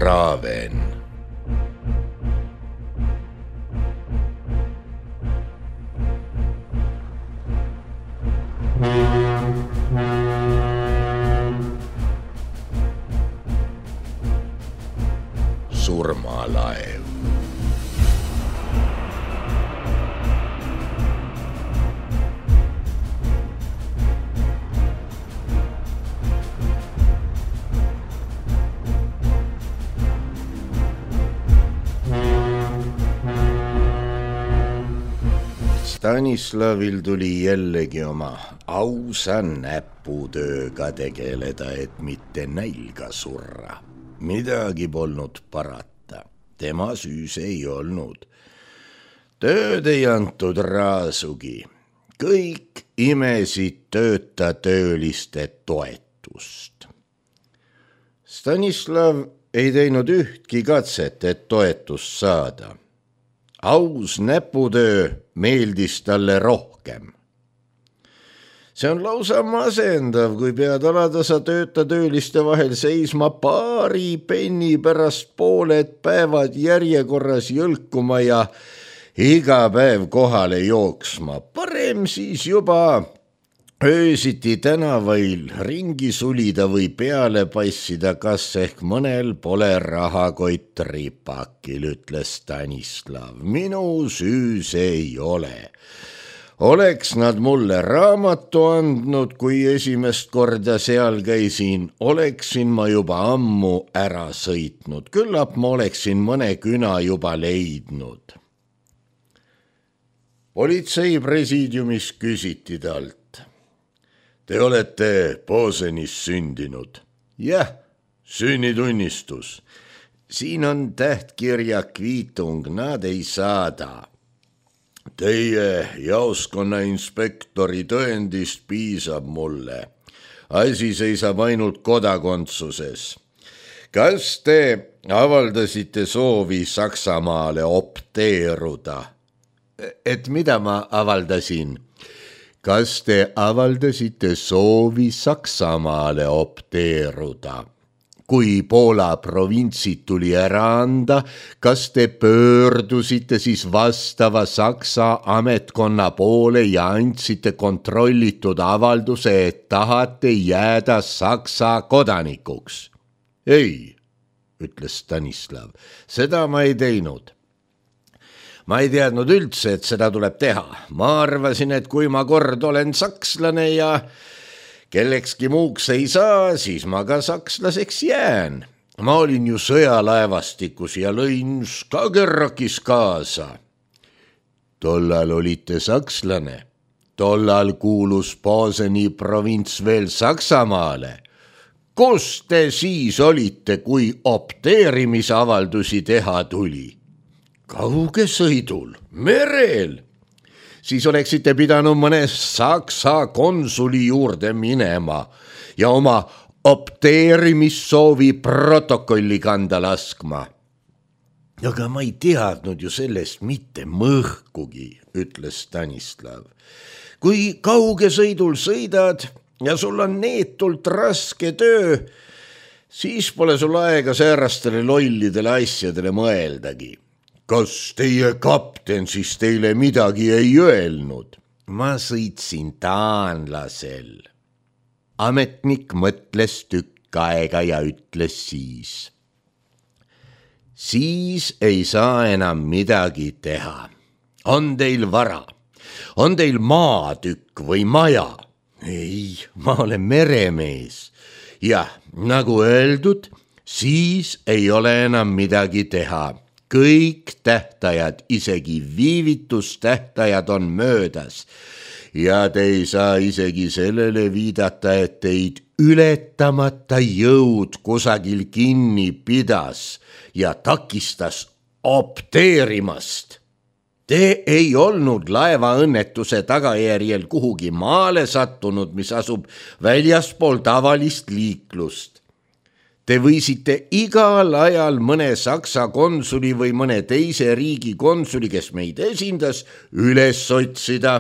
Traven. Surmalaev. Stanislavil tuli jällegi oma ausa näputööga tegeleda, et mitte nälga surra. Midagi polnud parata, tema süüs ei olnud. Tööd ei antud raasugi, kõik imesid tööta tööliste toetust. Stanislav ei teinud ühtki katset, et toetust saada. Aus näputöö meeldis talle rohkem. See on lausa masendav, kui pead alatasa tööta tööliste vahel seisma paari penni pärast pooled päevad järjekorras jõlkuma ja iga päev kohale jooksma. Parem siis juba öösiti tänavail ringi sulida või peale passida, kas ehk mõnel pole rahakott ripakil, ütles Stanislav. Minu süü see ei ole. Oleks nad mulle raamatu andnud, kui esimest korda seal käisin, oleksin ma juba ammu ära sõitnud. Küllap ma oleksin mõne küna juba leidnud. Politsei presiidiumis küsiti talt. Te olete Pozenis sündinud? Jah, sünnitunnistus. Siin on tähtkirja kviitung, nad ei saada. Teie jaoskonna inspektori tõendist piisab mulle. Asi seisab ainult kodakondsuses. Kas te avaldasite soovi Saksamaale opteeruda? Et mida ma avaldasin? Kas te avaldasite soovi Saksamaale opteeruda? Kui Poola provintsid tuli ära anda, kas te pöördusite siis vastava Saksa ametkonna poole ja andsite kontrollitud avalduse, et tahate jääda Saksa kodanikuks? Ei, ütles Stanislav, seda ma ei teinud. Ma ei teadnud üldse, et seda tuleb teha. Ma arvasin, et kui ma kord olen sakslane ja kellekski muuks ei saa, siis ma ka sakslaseks jään. Ma olin ju sõjalaevastikus ja lõin Skagerrakis kaasa. Tollal olite sakslane. Tollal kuulus Pozeni provints veel Saksamaale. Kus te siis olite, kui opteerimisavaldusi teha tuli? Kauge sõidul, merel. Siis oleksite pidanud mõne Saksa konsuli juurde minema ja oma opteerimissoovi protokolli kanda laskma. Aga ma ei teadnud ju sellest mitte mõhkugi, ütles Stanislav. Kui kauge sõidul sõidad ja sul on neetult raske töö, siis pole sul aega säärastele lollidele asjadele mõeldagi. Kas teie kapten siis teile midagi ei öelnud? Ma sõitsin taanlasel. Ametnik mõtles tükk aega ja ütles siis. Siis ei saa enam midagi teha. On teil vara? On teil maatükk või maja? Ei, ma olen meremees. Jah, nagu öeldud, siis ei ole enam midagi teha. Kõik tähtajad, isegi viivitustähtajad on möödas ja te ei saa isegi sellele viidata, et teid ületamata jõud kusagil kinni pidas ja takistas opteerimast. Te ei olnud laevaõnnetuse tagajärjel kuhugi maale sattunud, mis asub väljaspool tavalist liiklust. Te võisite igal ajal mõne Saksa konsuli või mõne teise riigi konsuli, kes meid esindas, üles otsida.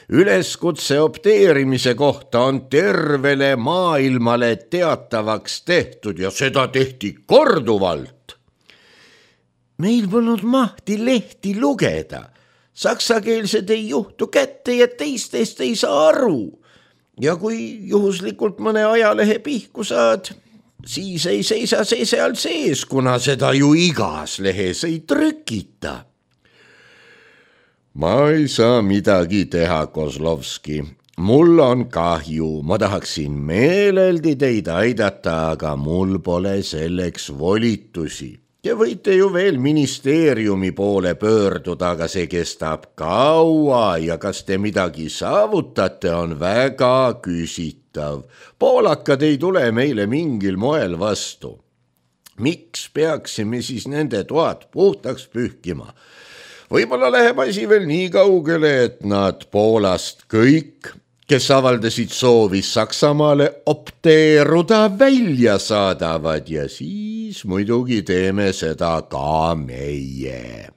üleskutse opteerimise kohta on tervele maailmale teatavaks tehtud ja seda tehti korduvalt. Meil polnud mahti lehti lugeda. Saksakeelsed ei juhtu kätte ja teistest ei saa aru. Ja kui juhuslikult mõne ajalehe pihku saad, siis ei seisa see seal sees, kuna seda ju igas lehes ei trükita. Ma ei saa midagi teha, Kozlovski. Mul on kahju, ma tahaksin meeleldi teid aidata, aga mul pole selleks volitusi. Te võite ju veel ministeeriumi poole pöörduda, aga see kestab kaua ja kas te midagi saavutate, on väga küsitav. Poolakad ei tule meile mingil moel vastu. Miks peaksime siis nende toad puhtaks pühkima? Võib-olla läheb asi veel nii kaugele, et nad Poolast kõik, kes avaldasid soovi Saksamaale opteeruda, välja saadavad ja siis muidugi teeme seda ka meie.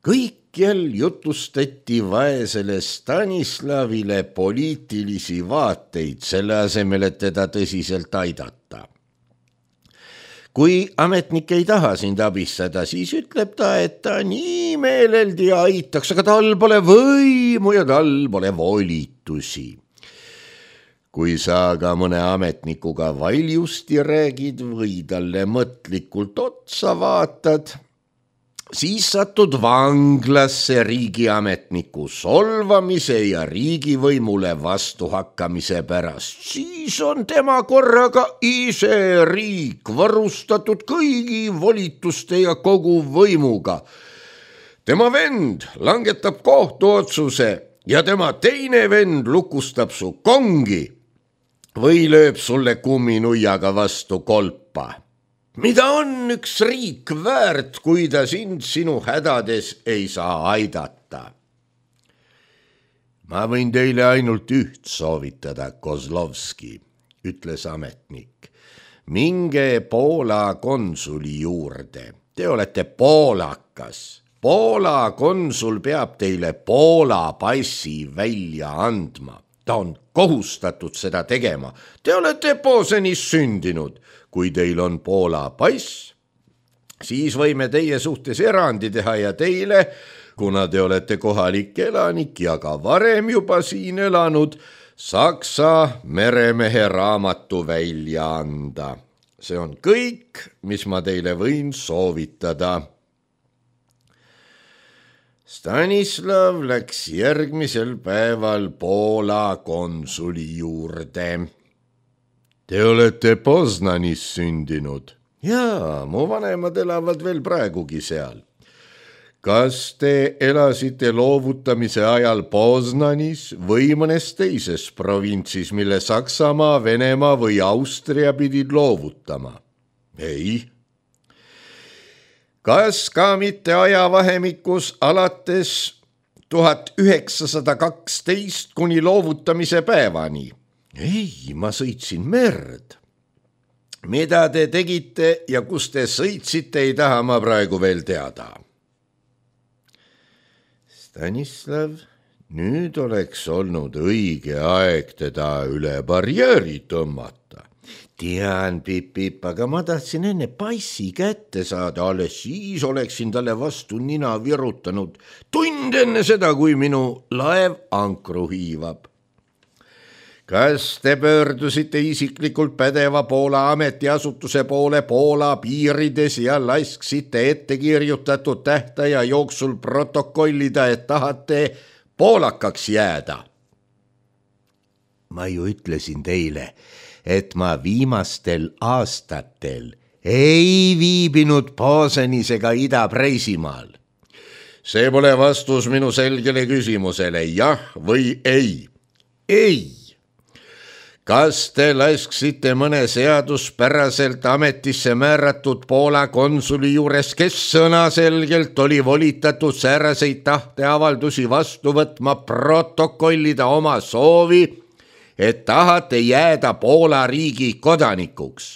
Kõikjal jutustati vaesele Stanislavile poliitilisi vaateid, selle asemel, et teda tõsiselt aidata. Kui ametnik ei taha sind abistada, siis ütleb ta, et ta nii meeleldi aitaks, aga tal pole võimu ja tal pole volitusi. Kui sa aga mõne ametnikuga valjusti räägid või talle mõtlikult otsa vaatad, siis satud vanglasse riigiametniku solvamise ja riigivõimule vastuhakkamise pärast. Siis on tema korraga ise riik, varustatud kõigi volituste ja kogu võimuga. Tema vend langetab kohtuotsuse ja tema teine vend lukustab su kongi või lööb sulle kumminuiaga vastu kolpa. Mida on üks riik väärt, kui ta sind sinu hädades ei saa aidata? Ma võin teile ainult üht soovitada, Kozlovski, ütles ametnik. Minge Poola konsuli juurde. Te olete poolakas. Poola konsul peab teile Poola passi välja andma. Ta on kohustatud seda tegema. Te olete Pozenis sündinud. Kui teil on Poola pass, siis võime teie suhtes erandi teha ja teile, kuna te olete kohalik elanik ja ka varem juba siin elanud, Saksa meremehe raamatu välja anda. See on kõik, mis ma teile võin soovitada. Stanislav läks järgmisel päeval Poola konsuli juurde. Te olete Poznanis sündinud. Jaa, mu vanemad elavad veel praegugi seal. Kas te elasite loovutamise ajal Poznanis või mõnes teises provintsis, mille Saksamaa, Venemaa või Austria pidid loovutama? Ei. Kas ka mitte ajavahemikus alates 1912 kuni loovutamise päevani? Ei, ma sõitsin merd. Mida te tegite ja kus te sõitsite, ei taha ma praegu veel teada. Stanislav, nüüd oleks olnud õige aeg teda üle barjääri tõmmata. Tean, Pip, aga ma tahtsin enne passi kätte saada, alles siis oleksin talle vastu nina virutanud. Tund enne seda, kui minu laev ankru hiivab. Kas te pöördusite isiklikult pädeva Poola ametiasutuse poole Poola piirides ja lasksite ettekirjutatud tähtaja jooksul protokollida, et tahate poolakaks jääda? Ma ju ütlesin teile, et ma viimastel aastatel ei viibinud Pozenis ega Ida-Preisimaal. See pole vastus minu selgele küsimusele, jah või ei. Ei. Kas te lasksite mõne seaduspäraselt ametisse määratud Poola konsuli juures, kes sõnaselgelt oli volitatud sääraseid tahteavaldusi vastu võtma, protokollida oma soovi, et tahate jääda Poola riigi kodanikuks?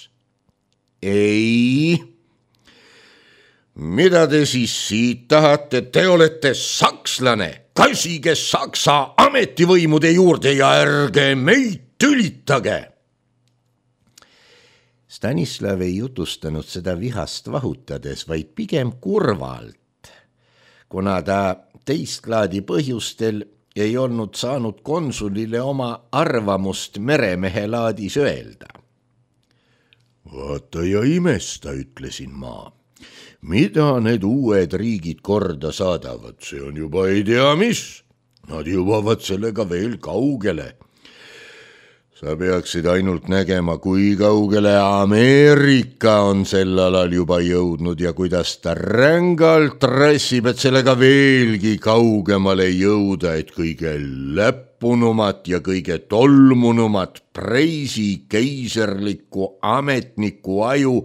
Ei. Mida te siis siit tahate? Te olete sakslane, kassige Saksa ametivõimude juurde ja ärge meid tülitage. Stanislav ei jutustanud seda vihast vahutades, vaid pigem kurvalt, kuna ta teist laadi põhjustel ei olnud saanud konsulile oma arvamust meremehe laadis öelda. Vaata ja imesta, ütlesin ma. Mida need uued riigid korda saadavad, see on juba ei tea mis. Nad jõuavad sellega veel kaugele. Sa peaksid ainult nägema, kui kaugele Ameerika on sel alal juba jõudnud ja kuidas ta rängalt rassib, et sellega veelgi kaugemale jõuda, et kõige läppunumat ja kõige tolmunumat preisi keiserliku ametniku aju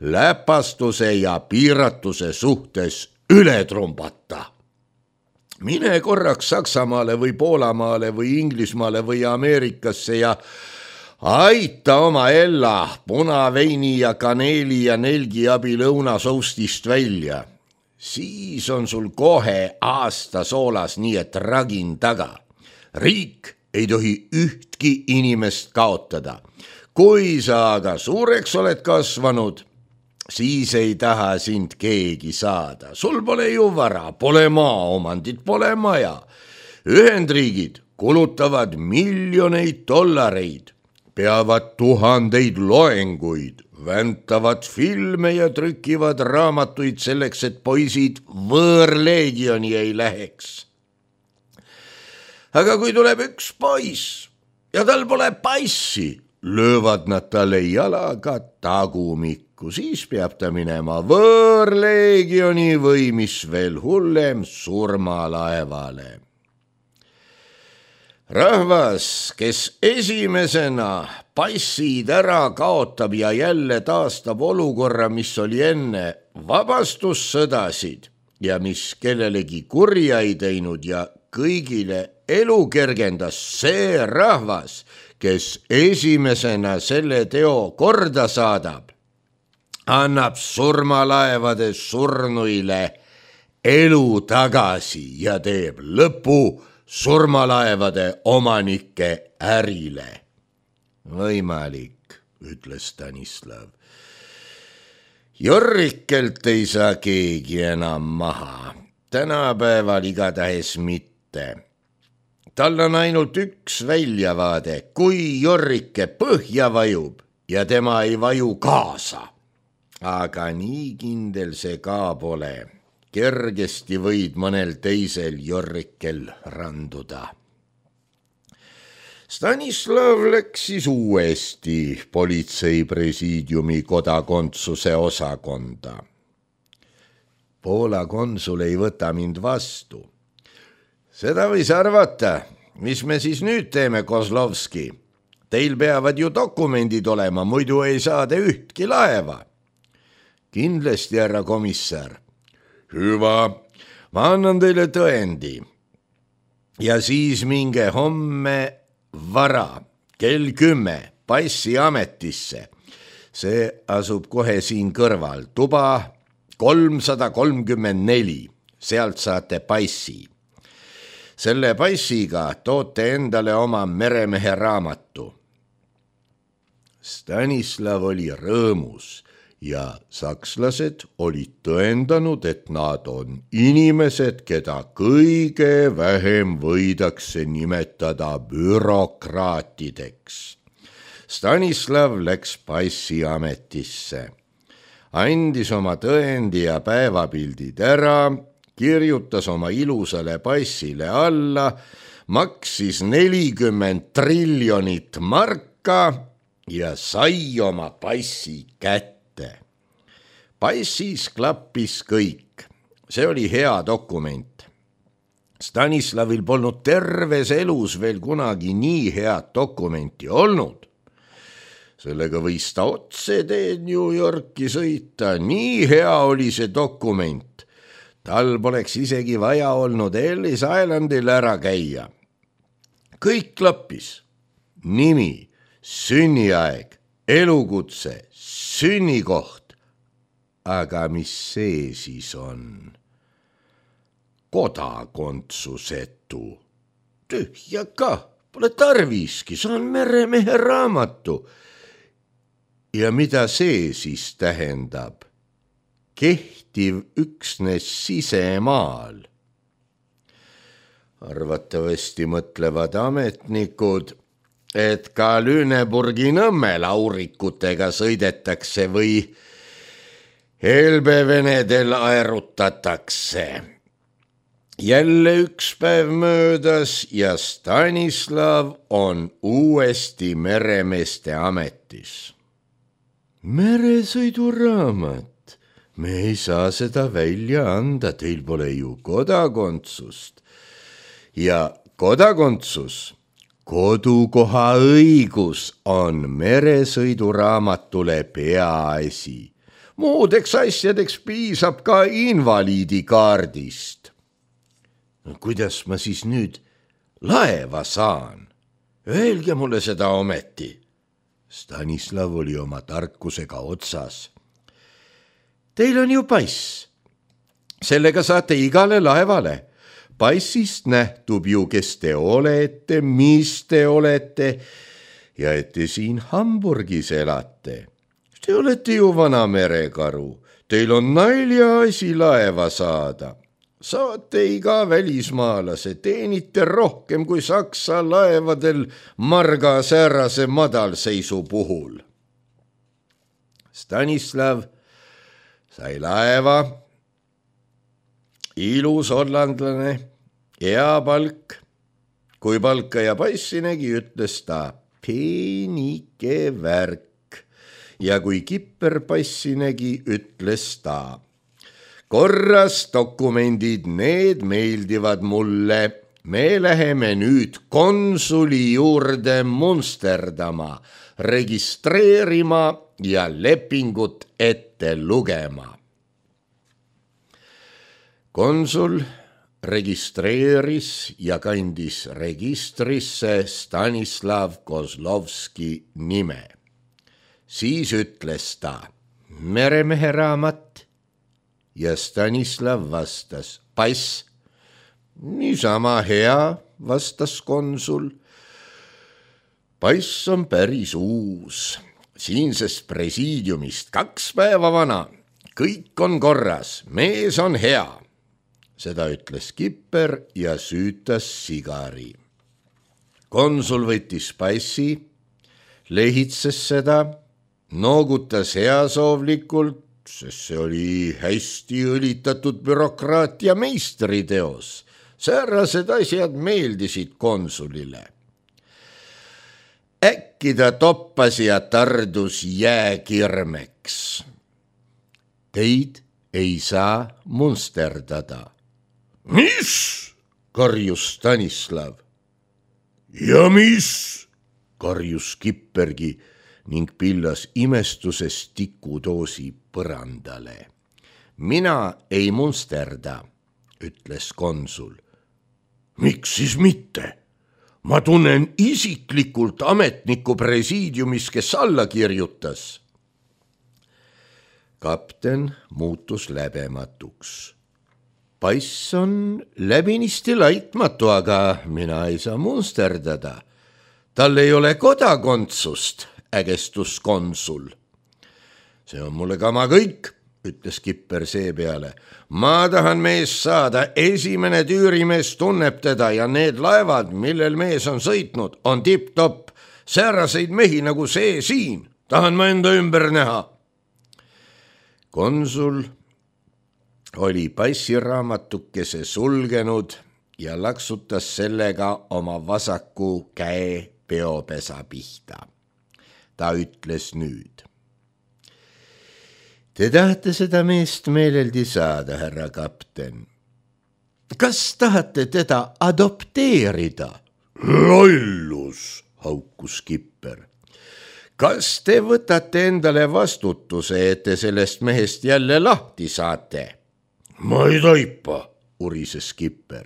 läpastuse ja piiratuse suhtes üle trumbata. Mine korraks Saksamaale või Poolamaale või Inglismaale või Ameerikasse ja aita oma Ella punaveini ja kaneeli ja nelgi abi lõunasoustist välja. Siis on sul kohe aasta soolas nii et ragin taga. Riik ei tohi ühtki inimest kaotada. Kui sa aga suureks oled kasvanud, siis ei taha sind keegi saada. Sul pole ju vara, pole maaomandit, pole maja. Ühendriigid kulutavad miljoneid dollareid, peavad tuhandeid loenguid, väntavad filme ja trükivad raamatuid selleks, et poisid võõrleegioni ei läheks. Aga kui tuleb üks poiss ja tal pole passi, löövad nad talle jalaga tagumikku. Siis peab ta minema võõrleegioni või mis veel hullem surmalaevale. Rahvas, kes esimesena passid ära kaotab ja jälle taastab olukorra, mis oli enne vabastussõdasid ja mis kellelegi kurja ei teinud ja kõigile elu kergendas, see rahvas, kes esimesena selle teo korda saadab, annab surmalaevade surnuile elu tagasi ja teeb lõpu surmalaevade omanike ärile. Võimalik, ütles Stanislav. Jorrikelt ei saa keegi enam maha, tänapäeval igatahes mitte. Tal on ainult üks väljavaade, kui Jorrike põhja vajub ja tema ei vaju kaasa. Aga nii kindel see ka pole. Kergesti võid mõnel teisel Jorrikel randuda. Stanislav läks siis uuesti politseipresiidiumi kodakondsuse osakonda. Poola konsul ei võta mind vastu. Seda võis arvata, mis me siis nüüd teeme, Kozlovski? Teil peavad ju dokumendid olema, muidu ei saa te ühtki laeva. Kindlasti, härra komissar. Hüva, ma annan teile tõendi. Ja siis minge homme vara, kell 10, passi ametisse. See asub kohe siin kõrval, tuba 334, sealt saate passi. Selle passiga toote endale oma meremehe raamatu. Stanislav oli rõõmus. Ja sakslased olid tõendanud, et nad on inimesed, keda kõige vähem võidakse nimetada bürokraatideks. Stanislav läks passiametisse, andis oma tõendi ja päevapildid ära, kirjutas oma ilusale passile alla, maksis 40 triljonit marka ja sai oma passi kätte. Passis klappis kõik. See oli hea dokument. Stanislavil polnud terves elus veel kunagi nii head dokumenti olnud. Sellega võis ta otse teed New Yorki sõita. Nii hea oli see dokument. Tal poleks isegi vaja olnud Ellis Islandil ära käia. Kõik klappis. Nimi, sünniaeg, elukutse, sünnikoht. Aga mis see siis on? kodakondsusetu. Tühja kah, pole tarviski, saan meremehe raamatu. Ja mida see siis tähendab? Kehtiv üksnes sisemaal. Arvatavasti mõtlevad ametnikud, et ka Lüneburgi Nõmme laurikutega sõidetakse või helbevenedel aerutatakse. Jälle üks päev möödas ja Stanislav on uuesti meremeeste ametis. Meresõiduraamat, me ei saa seda välja anda, teil pole ju kodakondsust. Ja kodakondsus, kodukoha õigus on meresõiduraamatule peaasi. Muudeks asjadeks piisab ka invaliidikaardist. No, kuidas ma siis nüüd laeva saan? Öelge mulle seda ometi. Stanislav oli oma tarkusega otsas. Teil on ju pass. Sellega saate igale laevale. Passist nähtub ju, kes te olete, mis te olete ja et te siin Hamburgis elate. Te olete ju vana merekaru, teil on naljaasi laeva saada. Saate iga välismaalase, teenite rohkem kui Saksa laevadel marga säärase madalseisu puhul. Stanislav sai laeva, ilus hollandlane, hea palk. Kui palka ja passi nägi, ütles ta peenike värk. Ja kui kipper passi nägi, ütles ta korras dokumendid, need meeldivad mulle. Me läheme nüüd konsuli juurde munsterdama, registreerima ja lepingut ette lugema. Konsul registreeris ja kandis registrisse Stanislav Kozlovski nime. Siis ütles ta meremehe raamat ja Stanislav vastas pass. Niisama hea, vastas konsul. Pass on päris uus, siinsest presiidiumist 2 päeva vana. Kõik on korras, mees on hea. Seda ütles kipper ja süütas sigari. Konsul võttis passi, lehitses seda, noogutas heasoovlikult, sest see oli hästi õlitatud bürokraatia meistriteos. Säärased asjad meeldisid konsulile. Äkki ta toppas ja tardus jääkirmeks. Teid ei saa munsterdada. Mis? Karjus Stanislav. Ja mis? Karjus kippergi ning pillas imestuses tikudoosi põrandale. Mina ei munsterda, ütles konsul. Miks siis mitte? Ma tunnen isiklikult ametniku presiidiumis, kes alla kirjutas. Kapten muutus läbematuks. Pass on läbinisti laitmatu, aga mina ei saa munsterdada. Tal ei ole kodakondsust, ägestus konsul. See on mulle kama kõik, ütles kipper seepeale. Ma tahan meest saada, esimene tüürimees tunneb teda ja need laevad, millel mees on sõitnud, on tipp-topp. Sääraseid mehi nagu see siin, tahan ma enda ümber näha. Konsul oli passiraamatukese sulgenud ja laksutas sellega oma vasaku käe peopesa pihta. Ta ütles nüüd. Te tahate seda meest meeleldi saada, härra kapten. Kas tahate teda adopteerida? Lollus, haukus kipper. Kas te võtate endale vastutuse, et te sellest mehest jälle lahti saate? Ma ei taipa, urises kipper.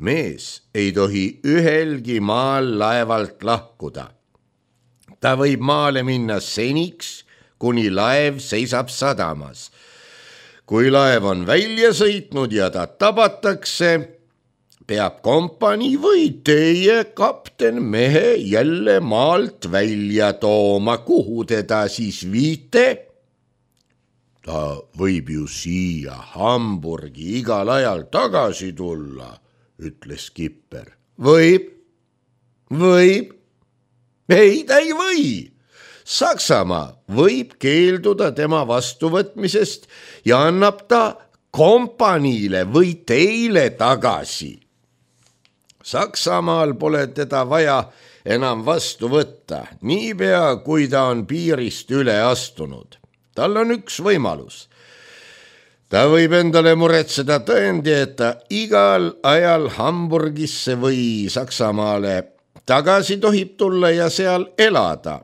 Mees ei tohi ühelgi maal laevalt lahkuda. Ta võib maale minna seniks, kuni laev seisab sadamas. kui laev on välja sõitnud ja ta tabatakse, peab kompanii või teie kapten mehe jälle maalt välja tooma. Kuhu teda siis viite? Ta võib ju siia Hamburgi igal ajal tagasi tulla, ütles skipper. Võib. Ei, ta ei või. Saksamaa võib keelduda tema vastuvõtmisest ja annab ta kompaniile või teile tagasi. Saksamaal pole teda vaja enam vastu võtta, niipea kui ta on piirist üle astunud. Tal on üks võimalus. Ta võib endale muretseda tõendi, et ta igal ajal Hamburgisse või Saksamaale tagasi tohib tulla ja seal elada.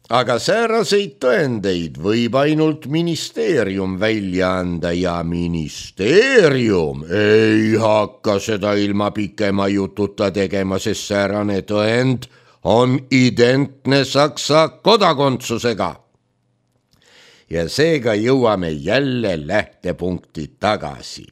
Aga sääraseid tõendeid võib ainult ministeerium välja anda ja ministeerium ei hakka seda ilma pikema jututa tegema, sest säärane tõend on identne Saksa kodakondsusega. Ja seega jõuame jälle lähtepunkti tagasi.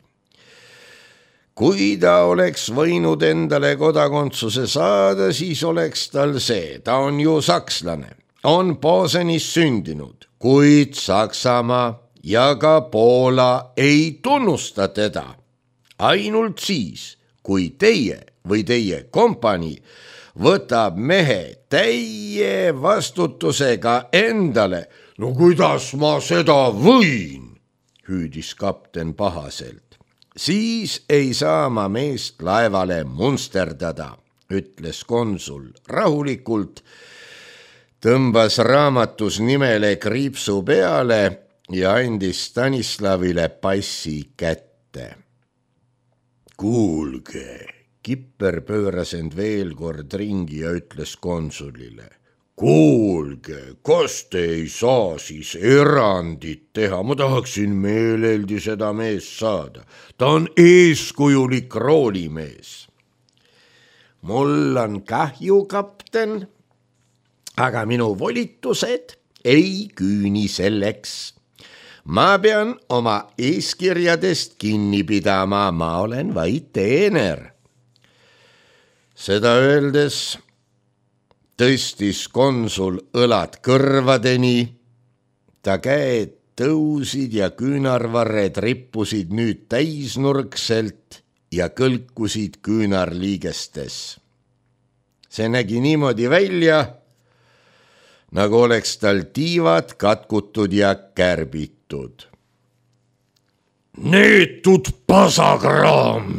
Kui ta oleks võinud endale kodakondsuse saada, siis oleks tal see, ta on ju sakslane, on Posenis sündinud, kuid Saksamaa ja ka Poola ei tunnusta teda. Ainult siis, kui teie või teie kompanii võtab mehe täie vastutusega endale. No kuidas ma seda võin, hüüdis kapten pahaselt. Siis ei saa ma meest laevale munsterdada, ütles konsul rahulikult, tõmbas raamatus nimele kriipsu peale ja andis Stanislavile passi kätte. Kuulge, kipper pööras end veel kord ringi ja ütles konsulile. Kuulge, kas te ei saa siis erandit teha? Ma tahaksin meeleldi seda meest saada. Ta on eeskujulik roolimees. Mul on kahju, kapten, aga minu volitused ei küüni selleks. Ma pean oma eeskirjadest kinni pidama, ma olen vaid teener. Seda öeldes tõstis konsul õlad kõrvadeni, ta käed tõusid ja küünarvarred rippusid nüüd täisnurkselt ja kõlkusid küünarliigestes. See nägi niimoodi välja, nagu oleks tal tiivad katkutud ja kärbitud. Neetud pasakraam,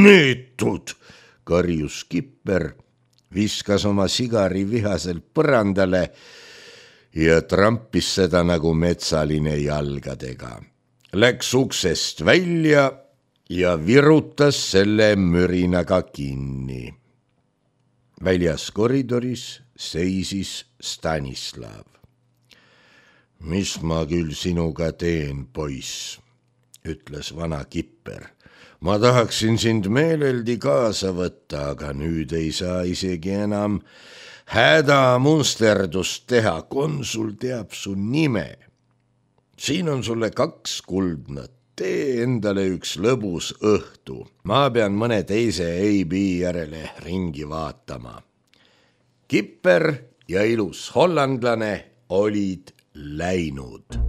neetud, karjus skipper, viskas oma sigari vihaselt põrandale ja trampis seda nagu metsaline jalgadega. Läks uksest välja ja virutas selle mürinaga kinni. Väljas koridoris seisis Stanislav. Mis ma küll sinuga teen, poiss, ütles vana kipper. Ma tahaksin sind meeleldi kaasa võtta, aga nüüd ei saa isegi enam hädamunsterdust teha. Konsul teab su nime. Siin on sulle 2 kuldnat. Tee endale üks lõbus õhtu. Ma pean mõne teise AB järele ringi vaatama. Kipper ja ilus hollandlane olid läinud.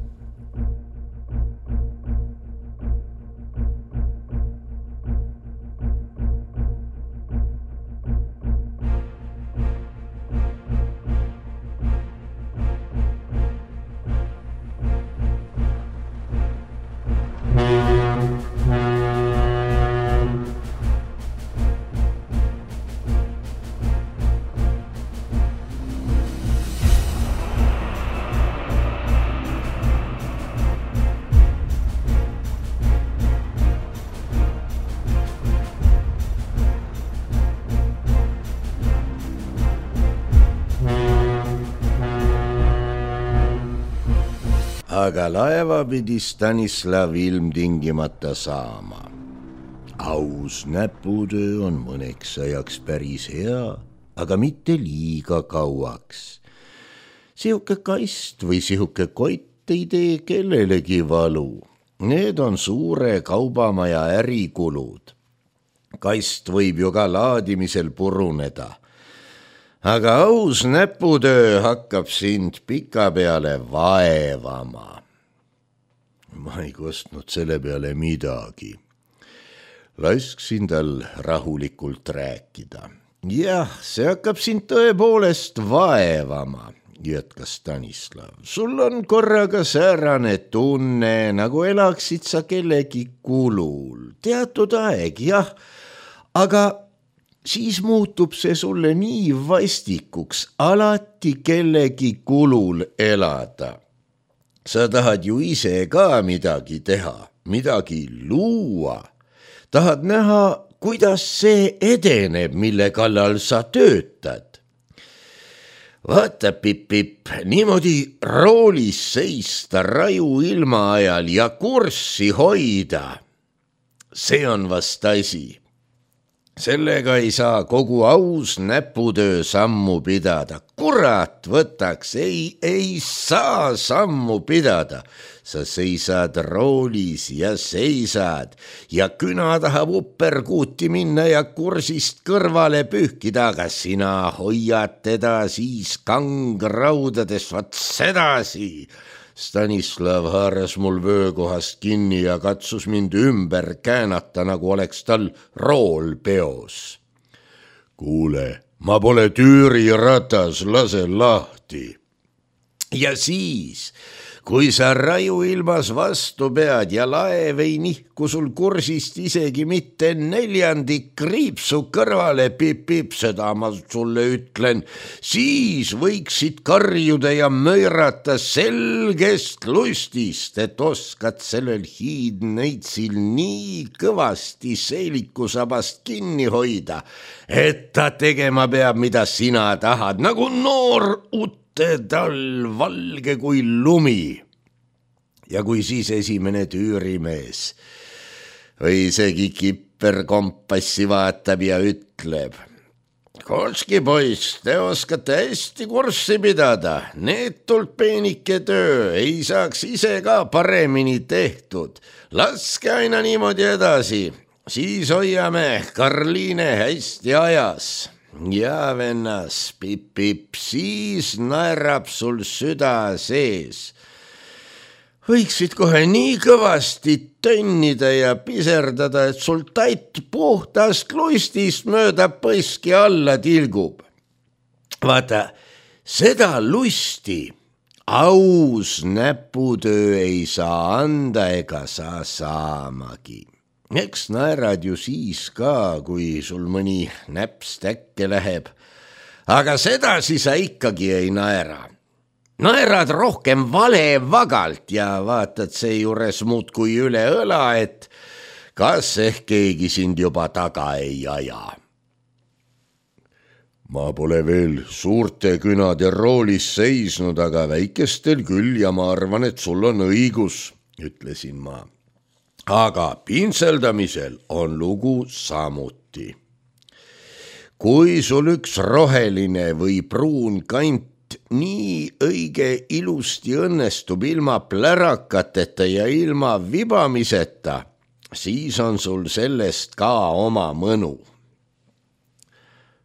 Aga laeva pidi Stanislav ilmtingimata saama. Aus näputöö on mõneks ajaks päris hea, aga mitte liiga kauaks. Sihuke kast või sihuke kott ei tee kellelegi valu. Need on suure kaubamaja ärikulud. Kast võib ju ka laadimisel puruneda. Aga aus näputöö hakkab sind pikapeale vaevama. Ma ei kostnud selle peale midagi. Lasksin tal rahulikult rääkida. Jah, see hakkab sind tõepoolest vaevama, jätkas Stanislav. Sul on korraga säärane tunne, nagu elaksid sa kellegi kulul. Teatud aeg, jah, aga siis muutub see sulle nii vastikuks alati kellegi kulul elada. Sa tahad ju ise ka midagi teha, midagi luua. Tahad näha, kuidas see edeneb, mille kallal sa töötad. Vaata, Pipp, niimoodi roolis seista raju ilma ajal ja kurssi hoida. See on vast asi. Sellega ei saa kogu aus näputöö sammu pidada. Kurat võtaks, ei saa sammu pidada. Sa seisad roolis ja seisad ja küna tahab upperkuuti minna ja kursist kõrvale pühkida, aga sina hoiad teda siis kangraudades, vat sedasi. Stanislav haaras mul vöökohast kinni ja katsus mind ümber käänata, nagu oleks tal rool peos. Kuule, ma pole tüüriratas, lase lahti. Ja siis, kui sa raju ilmas vastu pead ja laev ei nihku sul kursist isegi mitte 4 kriipsu kõrvale, Pipp, seda ma sulle ütlen, siis võiksid karjuda ja möirata selgest lustist, et oskad sellel hiidneitsil nii kõvasti seelikusabast kinni hoida, et ta tegema peab, mida sina tahad, nagu noor tal valge kui lumi. Ja kui siis esimene tüürimees või isegi kipperkompassi vaatab ja ütleb, Kolski poiss, te oskate hästi kurssi pidada, neetult peenike töö, ei saaks ise ka paremini tehtud. Laske aina niimoodi edasi, siis hoiame Karliine hästi ajas. Ja vennas, Pipp, siis naerab sul süda sees. Võiksid kohe nii kõvasti tönnida ja piserdada, et sul tait puhtast lustist mööda põski alla tilgub. Vaata, seda lusti aus näputöö ei saa anda ega saa saamagi. Eks naerad ju siis ka, kui sul mõni näps täkke läheb, aga sedasi sa ikkagi ei naera. Naerad rohkem valevagalt ja vaatad seejuures muudkui üle õla, et kas ehk keegi sind juba taga ei aja. Ma pole veel suurte künade roolis seisnud, aga väikestel küll ja ma arvan, et sul on õigus, ütlesin ma. Aga pintseldamisel on lugu samuti. Kui sul üks roheline või pruun kant nii õige ilusti õnnestub ilma plärakateta ja ilma vibamiseta, siis on sul sellest ka oma mõnu.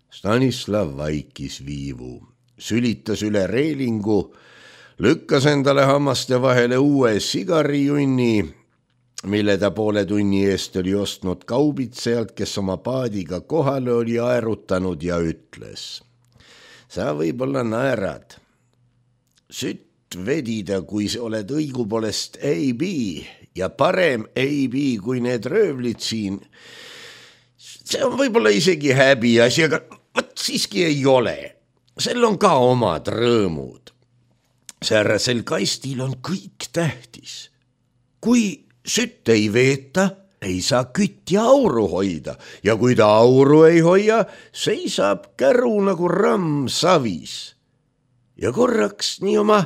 Stanislav vaikis viivu, sülitas üle reelingu, lükkas endale hammaste vahele uue sigarijunni, mille ta poole tunni eest oli ostnud kaubitsejalt, kes oma paadiga kohale oli aerutanud ja ütles. Sa võib-olla naerad. Sütt vedida, kui oled õigupoolest AB ja parem AB kui need röövlid siin. See on võib-olla isegi häbiasi, aga võt siiski ei ole. Sel on ka omad rõõmud. Säärasel kastil on kõik tähtis. Kui sütt ei veeta, ei saa kütt ja auru hoida ja kui ta auru ei hoia, seisab käru nagu ramm savis. Ja korraks nii oma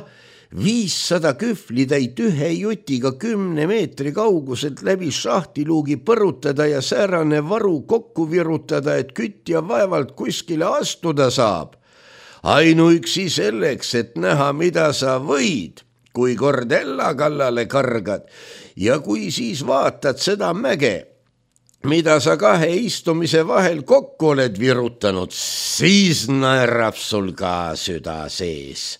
500 kühvlitäit ühe jutiga 10 meetri kauguselt läbi šahtiluugi põrutada ja säärane varu kokku virutada, et kütt ja vaevalt kuskile astuda saab. Ainuüksi selleks, et näha, mida sa võid. kui kord Ella kallale kargad ja kui siis vaatad seda mäge, mida sa kahe istumise vahel kokku oled virutanud, siis naerab sul ka süda sees.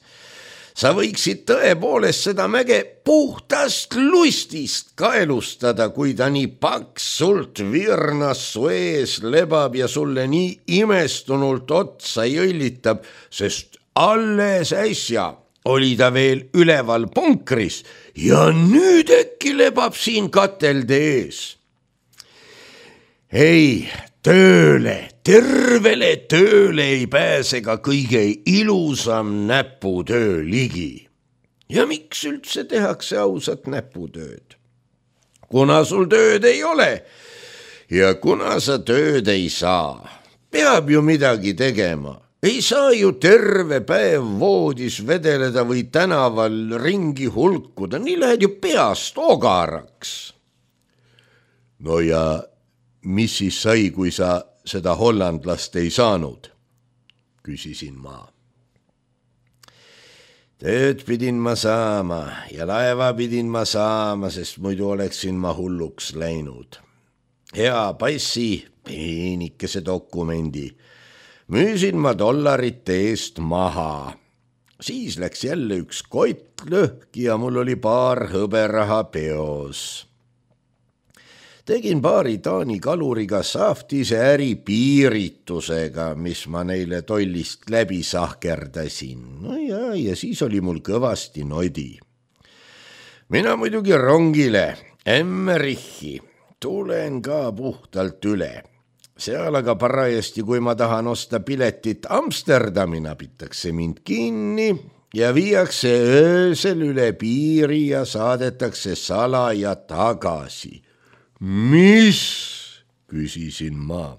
Sa võiksid tõepoolest seda mäge puhtast lustist kaelustada, kui ta nii paksult virnas su ees lebab ja sulle nii imestunult otsa jõllitab, sest alles äsja oli ta veel üleval punkris ja nüüd äkki lebab siin katelde ees. Ei, tööle, tervele tööle ei pääse ka kõige ilusam näputöö ligi. Ja miks üldse tehakse ausat näputööd? Kuna sul tööd ei ole ja kuna sa tööd ei saa, peab ju midagi tegema. Ei saa ju terve päev voodis vedeleda või tänaval ringi hulkuda, nii lähed ju peast ogaraks. No ja mis siis sai, kui sa seda hollandlast ei saanud? Küsisin ma. Tööd pidin ma saama ja laeva pidin ma saama, sest muidu oleksin ma hulluks läinud. Hea passi, peenikese dokumendi, müüsin ma $1 eest maha. Siis läks jälle üks kott lõhki ja mul oli paar hõberaha peos. Tegin paari Taani kaluriga saftise äri piiritusega, mis ma neile tollist läbi sahkerdasin. No ja siis oli mul kõvasti nodi. Mina muidugi rongile, Emmerichi, tulen ka puhtalt üle. Seal aga parajasti, kui ma tahan osta piletit Amsterdami, napitakse mind kinni ja viiakse öösel üle piiri ja saadetakse salaja tagasi. Mis? Küsisin ma.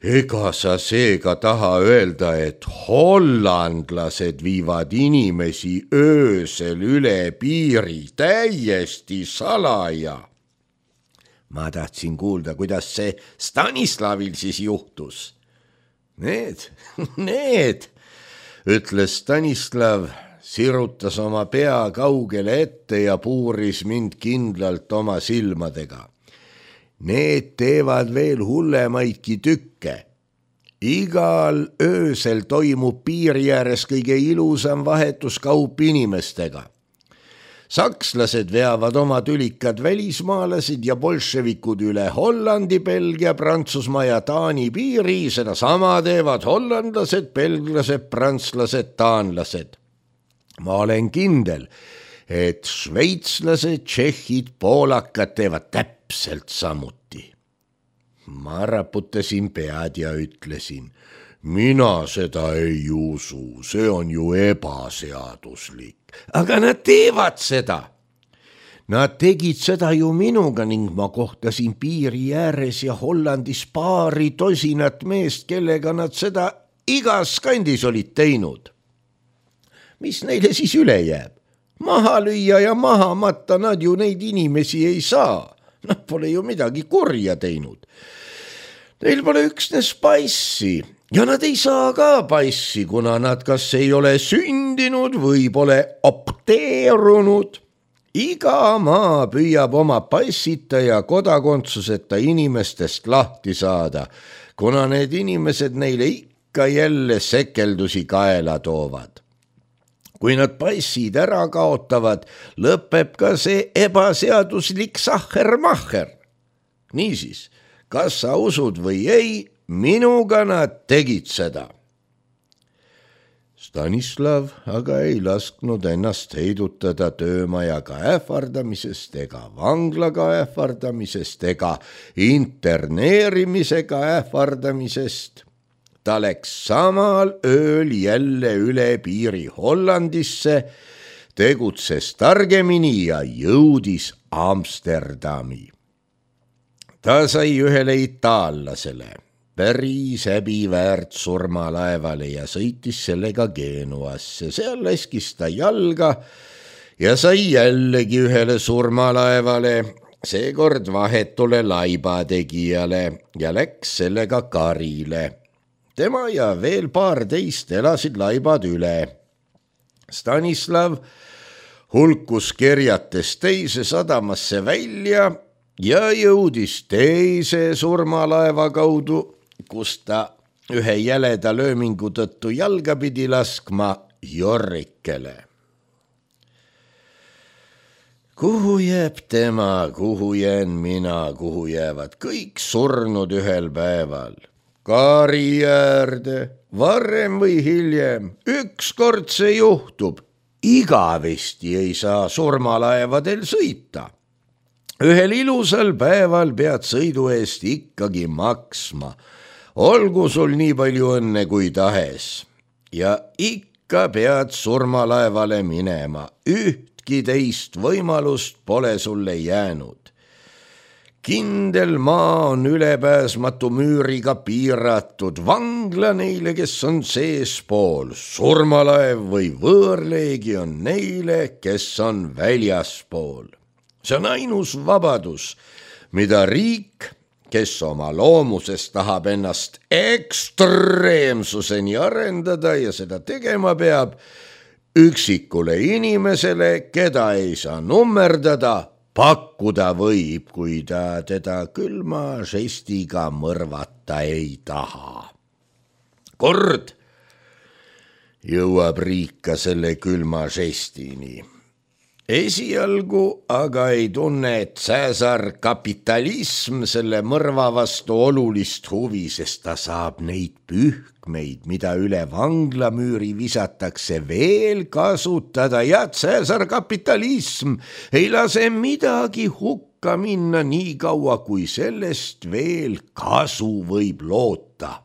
Ega sa seega taha öelda, et hollandlased viivad inimesi öösel üle piiri täiesti salaja? Ma tahtsin kuulda, kuidas see Stanislavil siis juhtus. Need, ütles Stanislav, sirutas oma pea kaugele ette ja puuris mind kindlalt oma silmadega. Need teevad veel hullemaidki tükke. Igal öösel toimub piiri ääres kõige ilusam vahetuskaup inimestega. Sakslased veavad oma tülikad välismaalasid ja bolševikud üle Hollandi, Belgia, Prantsusmaa ja Taani piiri, seda sama teevad hollandlased, belglased, prantslased, taanlased. Ma olen kindel, et šveitslased, tšehhid, poolakad teevad täpselt samuti. Ma raputasin pead ja ütlesin, mina seda ei usu, see on ju ebaseaduslik. Aga nad teevad seda. Nad tegid seda ju minuga ning ma kohtasin piiri ääres ja Hollandis paari tosinat meest, kellega nad seda igas kandis olid teinud. Mis neile siis üle jääb? Maha lüüa ja maha matta nad ju neid inimesi ei saa. Nad pole ju midagi kurja teinud. Neil pole üksnes passi ja nad ei saa ka passi, kuna nad kas ei ole sündinud või pole opteerunud. Iga maa püüab oma passita ja kodakondsuseta inimestest lahti saada, kuna need inimesed neile ikka jälle sekeldusi kaela toovad. Kui nad passid ära kaotavad, lõpeb ka see ebaseaduslik sahhermacher. Niisiis, kas sa usud või ei, minuga nad tegid seda. Stanislav aga ei lasknud ennast heidutada töömajaga ähvardamisest ega vanglaga ähvardamisest ega interneerimisega ähvardamisest. Ta läks samal ööl jälle üle piiri Hollandisse, tegutses targemini ja jõudis Amsterdami. Ta sai ühele itaallasele päris häbiväärt surmalaevale ja sõitis sellega Genuasse. Seal laskis ta jalga ja sai jällegi ühele surmalaevale, seekord vahetule laibategijale ja läks sellega karile. Tema ja veel paar teist elasid laibad üle. Stanislav hulkus kerjates teise sadamasse välja ja jõudis teise surmalaeva kaudu, kus ta ühe jäleda löömingu tõttu jalga pidi laskma Jorrikele. Kuhu jääb tema, kuhu jään mina, kuhu jäävad kõik surnud ühel päeval? Kaari äärde, varem või hiljem, ükskord see juhtub. Igavesti ei saa surmalaevadel sõita. Ühel ilusal päeval pead sõidu eest ikkagi maksma. Olgu sul nii palju õnne kui tahes. Ja ikka pead surmalaevale minema. Ühtki teist võimalust pole sulle jäänud. Kindel maa on ülepääsmatu müüriga piiratud, vangla neile, kes on seespool, surmalaev või võõrleegi on neile, kes on väljaspool. See on ainus vabadus, mida riik, kes oma loomuses tahab ennast ekstreemsuseni arendada ja seda tegema peab, üksikule inimesele, keda ei saa nummerdada, pakkuda võib, kui ta teda külma žestiga mõrvata ei taha. Kord jõuab riik ka selle külma žestini. Esialgu aga ei tunne Cäsar kapitalism selle mõrva vastu olulist huvi, sest ta saab neid pühkmeid, mida üle vanglamüüri visatakse, veel kasutada ja Cäsar kapitalism ei lase midagi hukka minna nii kaua, kui sellest veel kasu võib loota.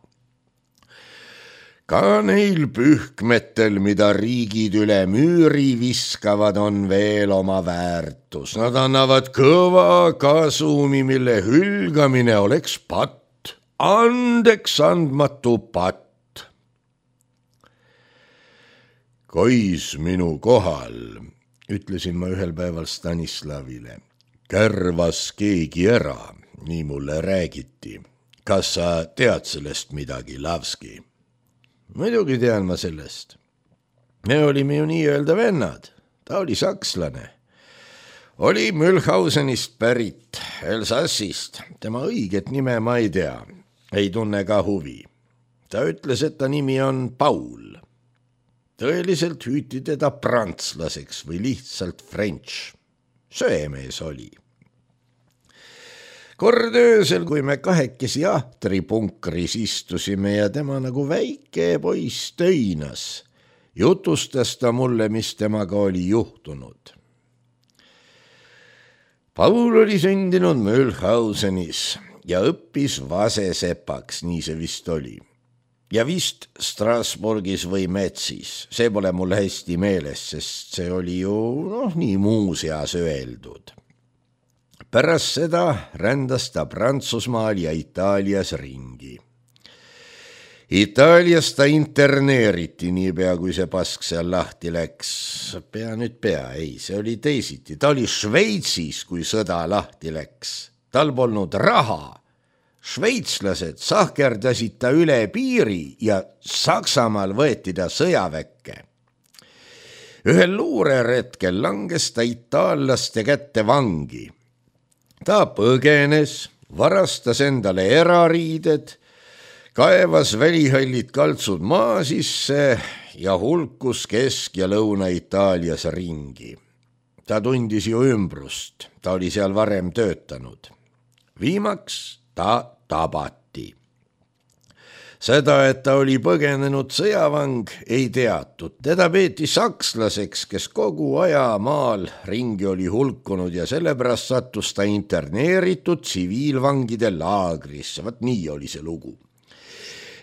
Ka neil pühkmetel, mida riigid üle müüri viskavad, on veel oma väärtus. Nad annavad kõva kasumi, mille hülgamine oleks patt, andeks andmatu patt. Kois minu kohal, ütlesin ma ühel päeval Stanislavile. Kärvas keegi ära, nii mulle räägiti. Kas sa tead sellest midagi, Lavski? Muidugi tean ma sellest. Me olime ju nii-öelda vennad. Ta oli sakslane. Oli Mülhausenist pärit, Elsassist. Tema õiget nime ma ei tea. Ei tunne ka huvi. Ta ütles, et ta nimi on Paul. Tõeliselt hüüti teda prantslaseks või lihtsalt French. Söemees oli. Kord öösel, kui me kahekesi ahtripunkris istusime ja tema nagu väike poiss töinas, jutustas ta mulle, mis temaga oli juhtunud. Paul oli sündinud Mülhausenis ja õppis vasesepaks, nii see vist oli. Ja vist Strasbourgis või Metsis, see pole mul hästi meeles, sest see oli ju nii muuseas öeldud. Pärast seda rändas ta Prantsusmaal ja Itaalias ringi. Itaalias ta interneeriti niipea, kui see pask seal lahti läks. See oli teisiti. Ta oli Šveitsis, kui sõda lahti läks. Tal polnud raha. Šveitslased sahkerdasid ta üle piiri ja Saksamaal võeti ta sõjaväkke. Ühel luureretkel langes ta itaallaste kätte vangi. Ta põgenes, varastas endale erariided, kaevas välihallid kaltsud maa sisse ja hulkus Kesk- ja Lõuna-Itaalias ringi. Ta tundis ju ümbrust, ta oli seal varem töötanud. Viimaks ta tabati. Seda, et ta oli põgenenud sõjavang, ei teatud. Teda peeti sakslaseks, kes kogu aja maal ringi oli hulkunud ja sellepärast sattus ta interneeritud tsiviilvangide laagrisse. Vat nii oli see lugu.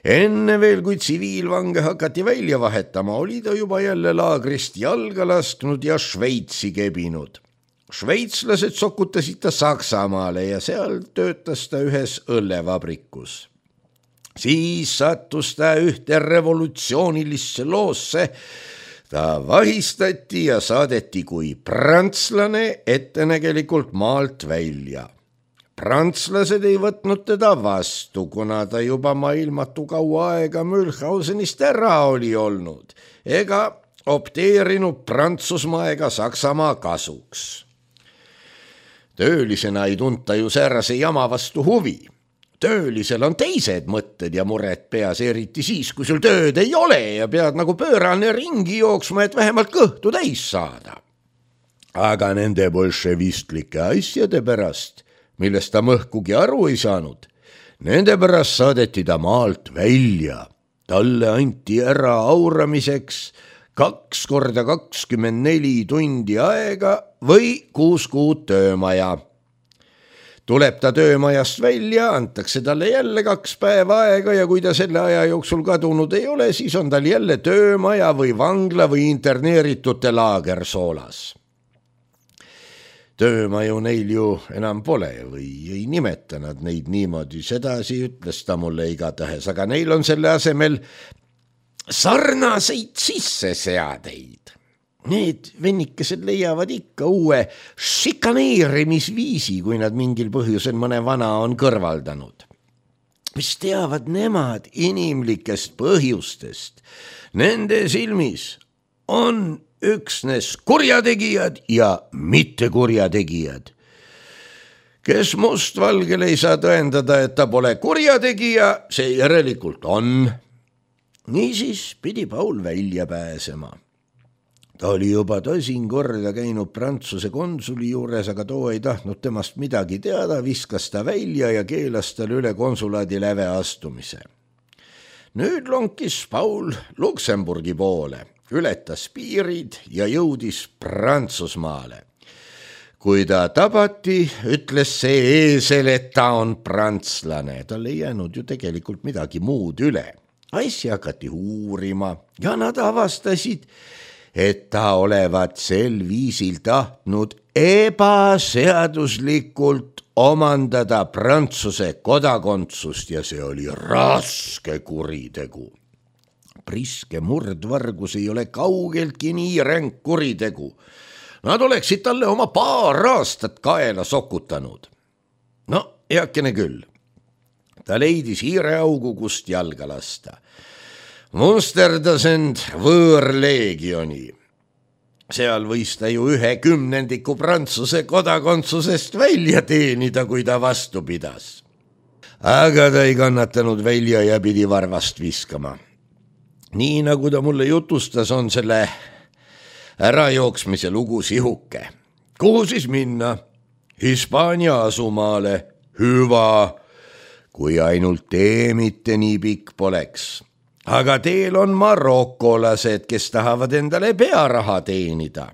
Enne veel, kui tsiviilvange hakati välja vahetama, oli ta juba jälle laagrist jalga lasknud ja Šveitsi kebinud. Šveitslased sokutasid ta Saksamaale ja seal töötas ta ühes õllevabrikus. Siis sattus ta ühte revolutsioonilisse loosse. Ta vahistati ja saadeti kui prantslane ettenägelikult maalt välja. Prantslased ei võtnud teda vastu, kuna ta juba maailmatu kaua aega Mülhausenist ära oli olnud. Ega opteerinud Prantsusmaa ega Saksamaa kasuks. Töölisena ei tunta ju säärase jama vastu huvi. Töölisel on teised mõtted ja mured peas, eriti siis, kui sul tööd ei ole ja pead nagu pöörane ringi jooksma, et vähemalt kõhtu täis saada. Aga nende bolševistlike asjade pärast, millest ta mõhkugi aru ei saanud, nende pärast saadeti ta maalt välja. Talle anti ära auramiseks 2 × 24 tundi aega või 6 kuud töömaja. Tuleb ta töömajast välja, antakse talle jälle 2 päeva aega ja kui ta selle aja jooksul kadunud ei ole, siis on tal jälle töömaja või vangla või interneeritute laager Soolas. Töömaju neil ju enam pole või ei nimeta nad neid niimoodi, sedasi ütles ta mulle igatahes, aga neil on selle asemel sarnaseid sisseseadeid. Need vennikesed leiavad ikka uue šikaneerimisviisi, kui nad mingil põhjusel mõne vana on kõrvaldanud. Mis teavad nemad inimlikest põhjustest? Nende silmis on üksnes kurjategijad ja mitte kurjategijad. Kes mustvalgel ei saa tõendada, et ta pole kurjategija, see järelikult on. Niisiis pidi Paul välja pääsema. Ta oli juba 10 korda käinud Prantsuse konsuli juures, aga too ei tahtnud temast midagi teada, viskas ta välja ja keelas tal üle konsulaadi läve astumise. Nüüd lonkis Paul Luksemburgi poole, ületas piirid ja jõudis Prantsusmaale. Kui ta tabati, ütles see eesel, et ta on prantslane. Tal ei jäänud ju tegelikult midagi muud üle. Asja hakati uurima ja nad avastasid, et ta olevat sel viisil tahtnud ebaseaduslikult omandada Prantsuse kodakondsust ja see oli raske kuritegu. Priske murdvargus ei ole kaugeltki nii ränk kuritegu. Nad oleksid talle oma 2 aastat kaela sokutanud. No, heakene küll. Ta leidis hiireaugu, kust jalga lasta. Musterdas end võõrleegioni. Seal võis ta ju 1/10 Prantsuse kodakondsusest välja teenida, kui ta vastu pidas. Aga ta ei kannatanud välja ja pidi varvast viskama. Nii nagu ta mulle jutustas, on selle ärajooksmise lugu sihuke. Kuhu siis minna? Hispaania asumaale. Hüva, kui ainult tee mitte nii pikk poleks. Aga teel on marokolased, kes tahavad endale pearaha teenida.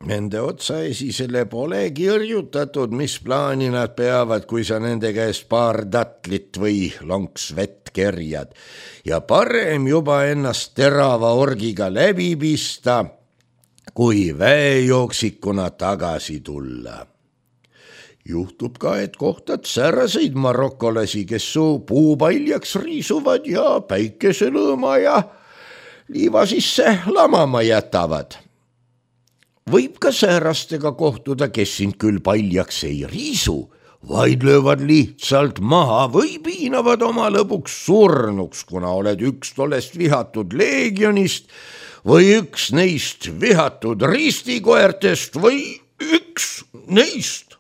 Nende otsaesisele polegi õrjutatud, mis plaani nad peavad, kui sa nende käest 2 tatlit või lonks vett kerjad. Ja parem juba ennast terava orgiga läbi pista, kui väejooksikuna tagasi tulla. Juhtub ka, et kohtad säraseid marokolasi, kes su puupaljaks riisuvad ja päikeselõõma ja liiva sisse lamama jätavad. Võib ka säärastega kohtuda, kes sind küll paljaks ei riisu, vaid löövad lihtsalt maha või piinavad oma lõpuks surnuks, kuna oled üks tollest vihatud leegionist või üks neist vihatud ristikoertest või üks neist.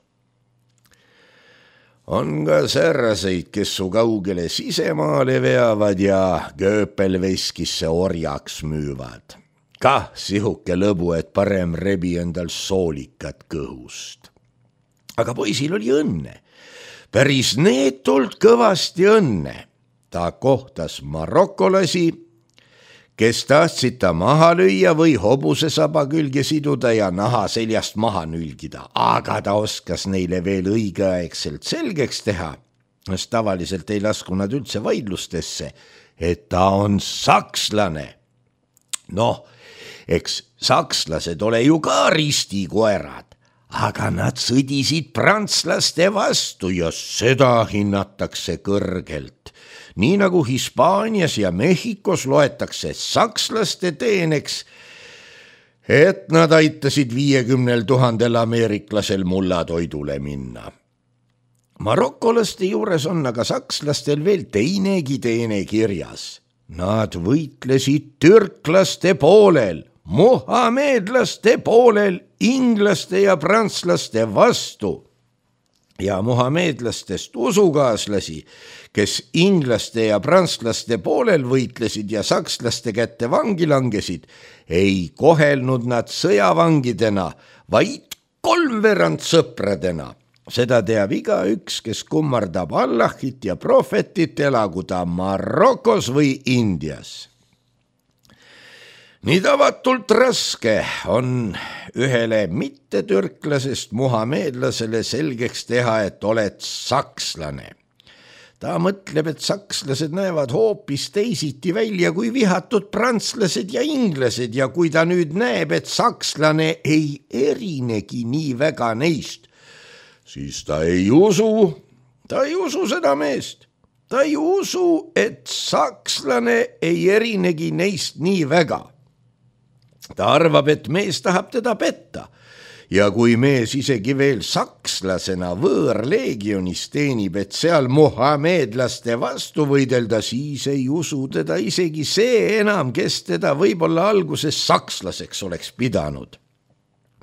On ka säärseid, kes su kaugele sisemaale veavad ja kööpelveskisse orjaks müüvad. Kah sihuke lõbu, et parem rebi endal soolikat kõhust. Aga poisil oli õnne. Päris neetult kõvasti õnne. Ta kohtas marokolasi, kes tahtsid ta maha lüüa või hobuse saba külge siduda ja naha seljast maha nülgida, aga ta oskas neile veel õigeaegselt selgeks teha, sest tavaliselt ei lasku nad üldse vaidlustesse, et ta on sakslane. Noh, eks sakslased ole ju ka ristikoerad, aga nad sõdisid prantslaste vastu ja seda hinnatakse kõrgelt. Nii nagu Hispaanias ja Mehhikos loetakse sakslaste teeneks, et nad aitasid 50 000 ameeriklasel mullatoidule minna. Marokolaste juures on aga sakslastel veel teinegi teene kirjas. Nad võitlesid türklaste poolel, muhameedlaste poolel inglaste ja prantslaste vastu ja muhameedlastest usukaaslasi, kes inglaste ja prantslaste poolel võitlesid ja sakslaste kätte vangi langesid, ei kohelnud nad sõjavangidena, vaid kolmveerand sõpradena. Seda teab igaüks, kes kummardab Allahit ja prohvetit, elagu ta Marokos või Indias. Nii tavatult raske on ühele mittetürklasest muhameedlasele selgeks teha, et oled sakslane. Ta mõtleb, et sakslased näevad hoopis teisiti välja kui vihatud prantslased ja inglased ja kui ta nüüd näeb, et sakslane ei erinegi nii väga neist, siis ta ei usu seda meest. Ta ei usu, et sakslane ei erinegi neist nii väga. Ta arvab, et mees tahab teda petta ja kui mees isegi veel sakslasena võõrleegionis teenib, et seal muhameedlaste vastu võidelda, siis ei usu teda isegi see enam, kes teda võib-olla alguses sakslaseks oleks pidanud.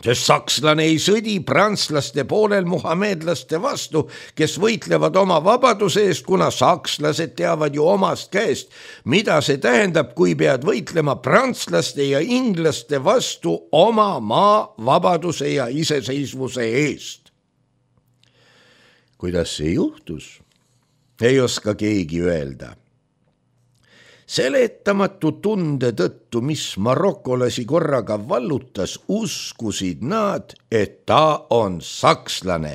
Sest sakslane ei sõdi prantslaste poolel muhameedlaste vastu, kes võitlevad oma vabaduse eest, kuna sakslased teavad ju omast käest, mida see tähendab, kui pead võitlema prantslaste ja inglaste vastu oma maa vabaduse ja iseseisvuse eest. Kuidas see juhtus? Ei oska keegi öelda. Seletamatu tunde tõttu, mis marokolasi korraga vallutas, uskusid nad, et ta on sakslane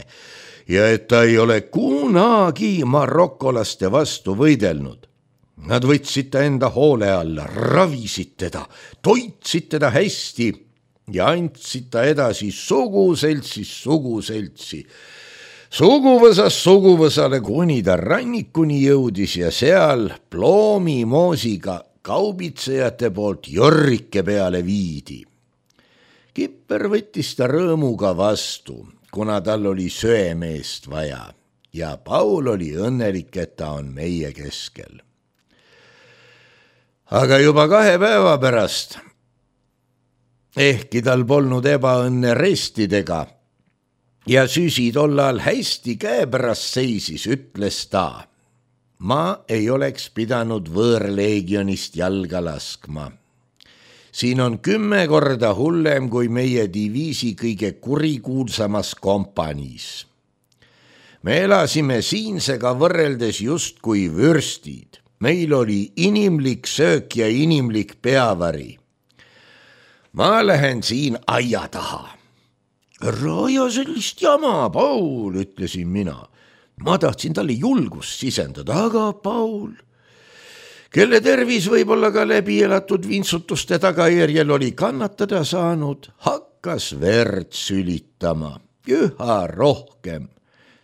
ja et ta ei ole kunagi marokolaste vastu võidelnud. Nad võtsid ta enda hoole alla, ravisid teda, toitsid teda hästi ja andsid ta edasi suguseltsi. Suguvõsast suguvõsale, kuni ta rannikuni jõudis ja seal ploomimoosiga kaubitsejate poolt Jorrike peale viidi. Kipper võttis ta rõõmuga vastu, kuna tal oli söemeest vaja ja Paul oli õnnelik, et ta on meie keskel. Aga juba 2 päeva pärast, ehkki tal polnud ebaõnne restidega, ja süsi tollal hästi käepärast seisis, ütles ta, ma ei oleks pidanud võõrleegionist jalga laskma. Siin on 10 korda hullem kui meie diviisi kõige kurikuulsamas kompaniis. Me elasime siinsega võrreldes just kui vürstid. Meil oli inimlik söök ja inimlik peavari. Ma lähen siin aia taha. Ära aja sellist jama, Paul, ütlesin mina. Ma tahtsin talle julgust sisendada, aga Paul, kelle tervis võib-olla ka läbi elatud vintsutuste tagajärjel oli kannatada saanud, hakkas verd sülitama, üha rohkem.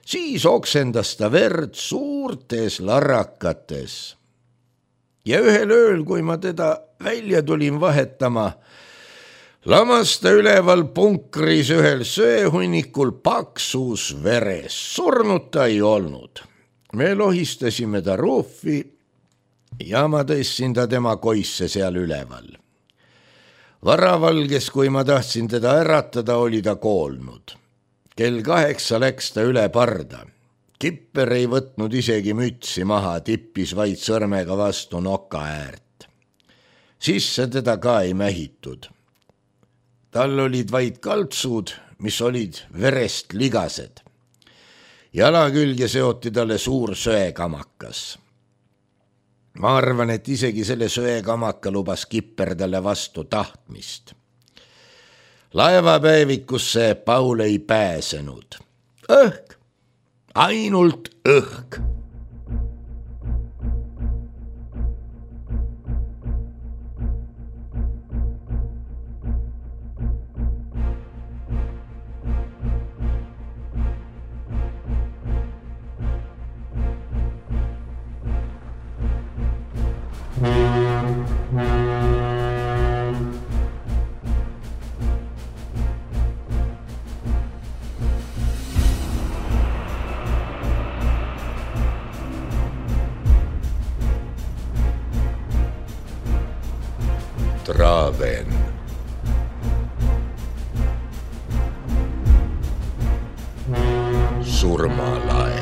Siis oksendas ta verd suurtes larrakates. Ja ühel ööl, kui ma teda välja tulin vahetama, lamas ta üleval punkris ühel söehunnikul paksus veres, surnud ta ei olnud. Me lohistasime ta ruufi ja ma tõstsin ta tema koisse seal üleval. Varavalges, kui ma tahtsin teda äratada, oli ta koolnud. Kell 8 läks ta üle parda. Kipper ei võtnud isegi mütsi maha, tippis vaid sõrmega vastu noka äärt. Sisse teda ka ei mähitud. Tal olid vaid kaltsud, mis olid verest ligased. Jala külge seoti talle suur söekamakas. Ma arvan, et isegi selle söekamaka lubas Kipper talle vastu tahtmist. Laevapäevikusse Paul ei pääsenud. Õhk, ainult õhk. Traven, surmalaev.